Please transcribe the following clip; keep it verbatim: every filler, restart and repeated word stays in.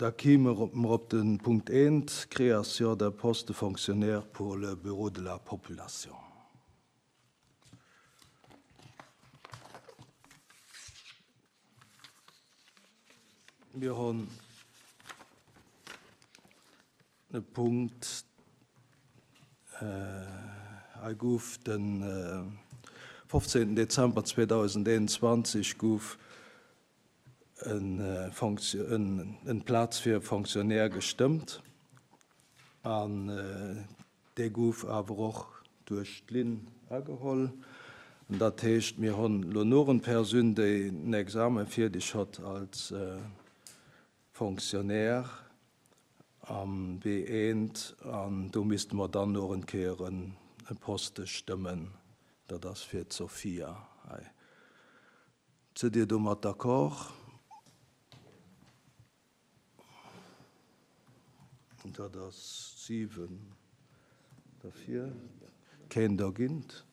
Da kime mer op de Punkt eent, Création d'un poste de fonctionnaire pour le bureau de la population. Mir hunn e Punkt, hei gouf de fofzéngten Dezember zweedausendeenundzwanzeg gouf en Plaz fir e Fonctionnaire gestëmmt an dee gouf awer och duerch d'Linn ageholl. An dat heescht, mir hunn elo nur en Persoun, déi en Examen fierdeg hott als Fonctionnaire am B eent an do misste mer dann nur en Kéier e Poste stëmmen. Dat ass fir d'Sophia hei. Sidd Dir domat d'accord? Dat ass siwen derfir, keen dergint.